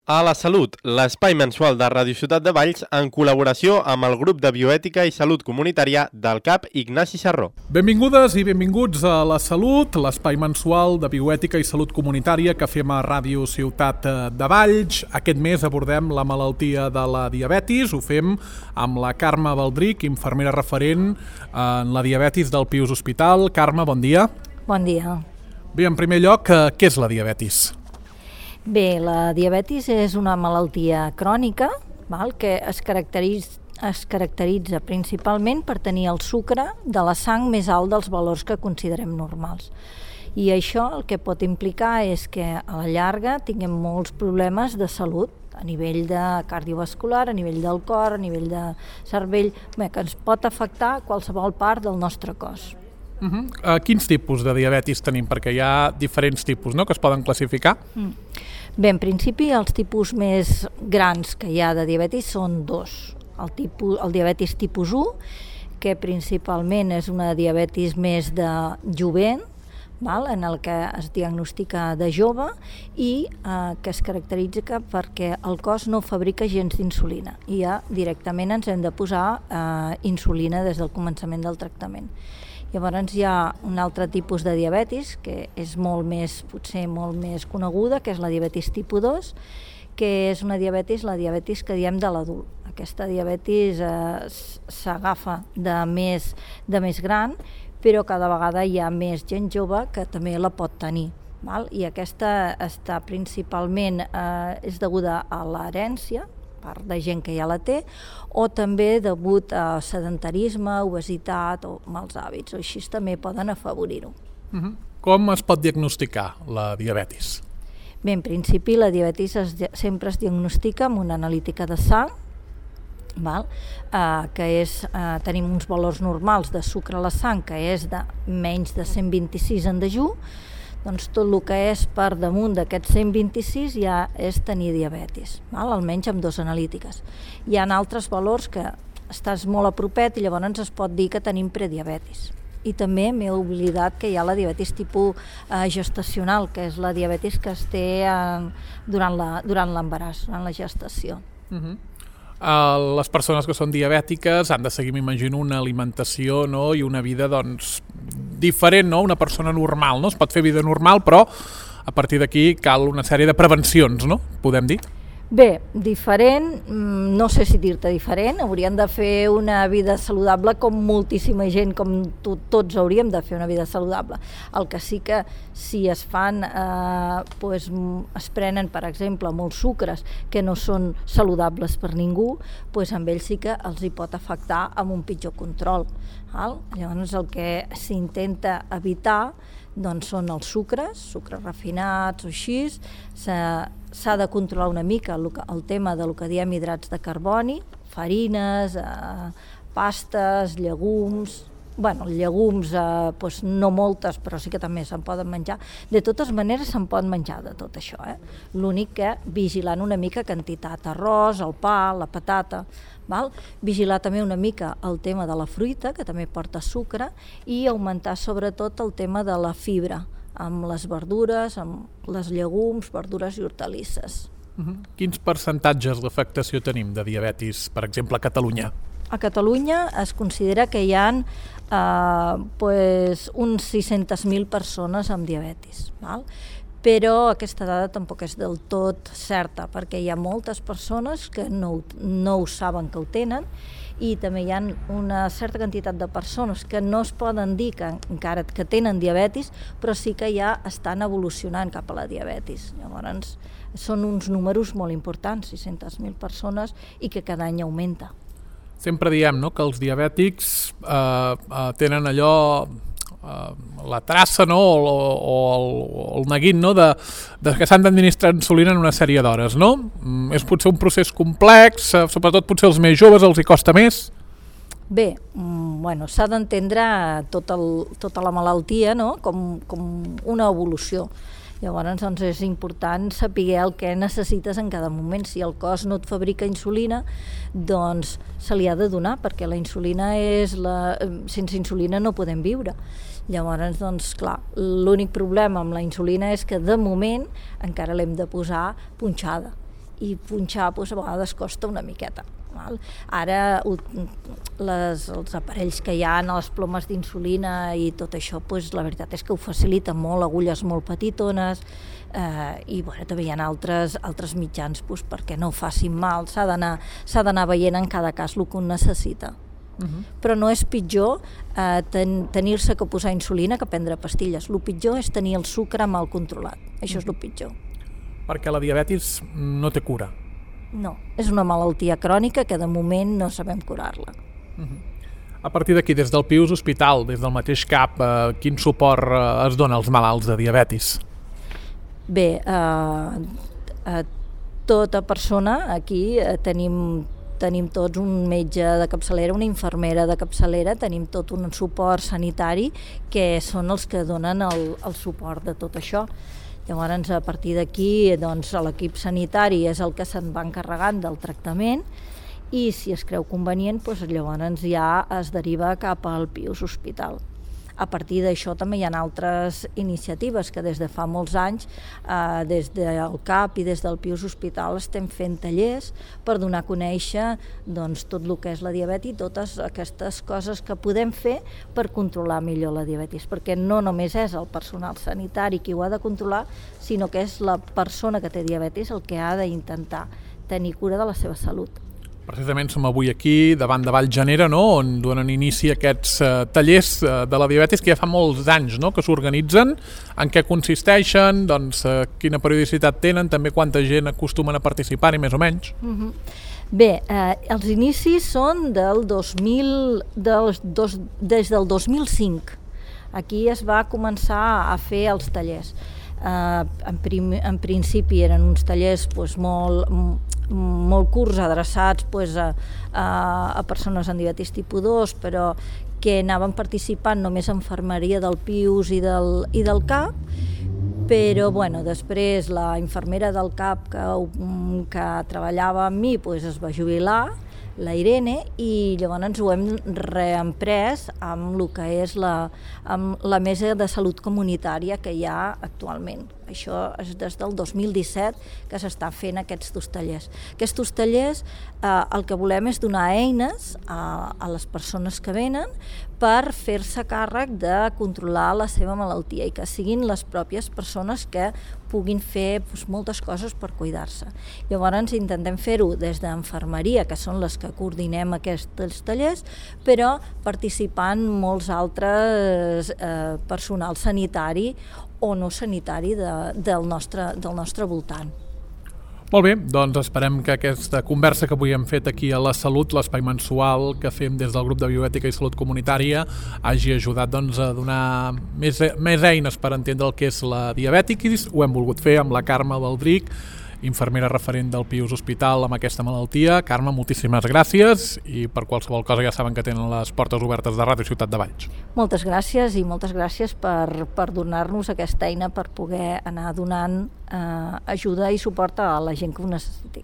A la Salut, l'espai mensual de Ràdio Ciutat de Valls en col·laboració amb el grup de bioètica i salut comunitària del CAP Ignasi Sarró. Benvingudes i benvinguts a La Salut, l'espai mensual de bioètica i salut comunitària que fem a Ràdio Ciutat de Valls. Aquest mes abordem la malaltia de la diabetis, ho fem amb la Carme Baldric, infermera referent en la diabetis del Pius Hospital. Carme, bon dia. Bon dia. Bé, en primer lloc, què és la diabetis? Bé, la diabetis és una malaltia crònica que es caracteritza principalment per tenir el sucre de la sang més alt dels valors que considerem normals. I això el que pot implicar és que a la llarga tinguem molts problemes de salut, a nivell de cardiovascular, a nivell del cor, a nivell de cervell, que ens pot afectar qualsevol part del nostre cos. Quins tipus de diabetis tenim? Perquè hi ha diferents tipus, no?, que es poden classificar. Bé, en principi els tipus més grans que hi ha de diabetis són dos. El diabetis tipus 1, que principalment és una diabetis més de jovent, en el que es diagnostica de jove i que es caracteritza perquè el cos no fabrica gens d'insulina i ja directament ens hem de posar insulina des del començament del tractament. Llavors hi ha un altre tipus de diabetis que és potser molt més coneguda, que és la diabetis tipus 2, que és la diabetis que diem de l'adult. Aquesta diabetis s'agafa de més gran, però cada vegada hi ha més gent jove que també la pot tenir. I aquesta està principalment és deguda a l'herència, part de gent que ja la té, o també degut a sedentarisme, obesitat o mals hàbits, o així també poden afavorir-ho. Com es pot diagnosticar la diabetis? Bé, en principi la diabetis sempre es diagnostica amb una analítica de sang, que tenim uns valors normals de sucre a la sang, que és de menys de 126 en dejú, doncs tot el que és per damunt d'aquests 126 ja és tenir diabetis, almenys amb dos analítiques. Hi ha altres valors que estàs molt a propet i llavors es pot dir que tenim prediabetis. I també m'he oblidat que hi ha la diabetis tipus gestacional, que és la diabetis que es té durant l'embaràs, durant la gestació. Les persones que són diabètiques han de seguir, m'imagino, una alimentació, i una vida diferent, una persona normal, es pot fer vida normal, però a partir d'aquí cal una sèrie de prevencions, podem dir? Bé, diferent, no sé si dir-te diferent, hauríem de fer una vida saludable com moltíssima gent, com tots hauríem de fer una vida saludable. El que sí que si es fan, es prenen, per exemple, molts sucres que no són saludables per ningú, amb ells sí que els hi pot afectar amb un pitjor control. Llavors el que s'intenta evitar són els sucres refinats o així, s'ha de controlar una mica el tema del que diem hidrats de carboni, farines, pastes, llegums. Llegums no moltes, però sí que també se'n poden menjar. De totes maneres se'n pot menjar de tot això. L'únic que vigilant una mica quantitat, arròs, el pa, la patata. Vigilar també una mica el tema de la fruita, que també porta sucre, i augmentar sobretot el tema de la fibra, amb les verdures, amb les llegums, verdures i hortalisses. Quins percentatges d'afectació tenim de diabetis, per exemple, a Catalunya? A Catalunya es considera que hi ha uns 600.000 persones amb diabetis, però aquesta dada tampoc és del tot certa, perquè hi ha moltes persones que no ho saben que ho tenen, i també hi ha una certa quantitat de persones que no es poden dir encara que tenen diabetis, però sí que ja estan evolucionant cap a la diabetis. Llavors són uns números molt importants, 600.000 persones, i que cada any augmenta. Sempre diem que els diabètics tenen allò, la traça o el neguit de que s'han d'administrar insulina en una sèrie d'hores. És potser un procés complex, sobretot potser els més joves els hi costa més? Bé, s'ha d'entendre tota la malaltia com una evolució. Llavors és important saber el que necessites en cada moment. Si el cos no et fabrica insulina, doncs se li ha de donar, perquè la insulina sense insulina no podem viure. Llavors, clar, l'únic problema amb la insulina és que de moment encara l'hem de posar punxada. i punxar doncs, a vegades costa una miqueta. Val? Ara els aparells que hi ha, les plomes d'insulina i tot això, doncs, la veritat és que ho facilita molt, agulles molt petitones, i bueno, també hi ha altres mitjans doncs, perquè no facin mal, s'ha d'anar veient en cada cas el que un necessita. Però no és pitjor tenir-se que posar insulina que prendre pastilles. El pitjor és tenir el sucre mal controlat, això és el pitjor. Perquè la diabetis no té cura. No, és una malaltia crònica que de moment no sabem curar-la. A partir d'aquí, des del Pius Hospital, des del mateix CAP, quin suport es dona als malalts de diabetis? Bé, tota persona, aquí tenim tots un metge de capçalera, una infermera de capçalera, tenim tot un suport sanitari que són els que donen el suport de tot això. Llavors, a partir d'aquí, doncs, l'equip sanitari és el que se'n va encarregant del tractament i si es creu convenient, doncs, llavors ja es deriva cap al Pius Hospital. A partir d'això també hi ha altres iniciatives que des de fa molts anys, des del CAP i des del Pius Hospital estem fent tallers per donar a conèixer doncs, tot el que és la diabetis i totes aquestes coses que podem fer per controlar millor la diabetis, perquè no només és el personal sanitari qui ho ha de controlar, sinó que és la persona que té diabetis el que ha d'intentar tenir cura de la seva salut. Precisament som avui aquí, davant de Vallgenera, no?, on donen inici aquests tallers de la diabetis que ja fa molts anys, no?, que s'organitzen. En què consisteixen, doncs, quina periodicitat tenen, també quanta gent acostumen a participar-hi, més o menys? Bé, els inicis són des del 2005. Aquí es va començar a fer els tallers. En principi eren uns tallers doncs, molt curts, adreçats doncs, a persones amb diabetis tipus 2, però que anaven participant només en infermeria del Pius i del CAP, però bueno, després la infermera del CAP que treballava amb mi doncs, es va jubilar, la Irene, i llavors ho hem reemprès amb el que és amb la mesa de salut comunitària que hi ha actualment. Això és des del 2017 que s'està fent aquests dos tallers. Aquests tallers el que volem és donar eines a les persones que venen per fer-se càrrec de controlar la seva malaltia i que siguin les pròpies persones que puguin fer moltes coses per cuidar-se. Llavors intentem fer-ho des d'infermeria, que són les que coordinem aquests tallers, però participant molts altres personal sanitari o no sanitari del nostre voltant. Molt bé, doncs esperem que aquesta conversa que avui hem fet aquí a La Salut, l'espai mensual que fem des del grup de Bioètica i Salut Comunitària, hagi ajudat doncs, a donar més eines per entendre el que és la diabetis. Ho hem volgut fer amb la Carme Baldric, infermera referent del Pius Hospital amb aquesta malaltia. Carme, moltíssimes gràcies i per qualsevol cosa ja saben que tenen les portes obertes de Ràdio Ciutat de Valls. Moltes gràcies i moltes gràcies per donar-nos aquesta eina per poder anar donant ajuda i suport a la gent que ho necessiti.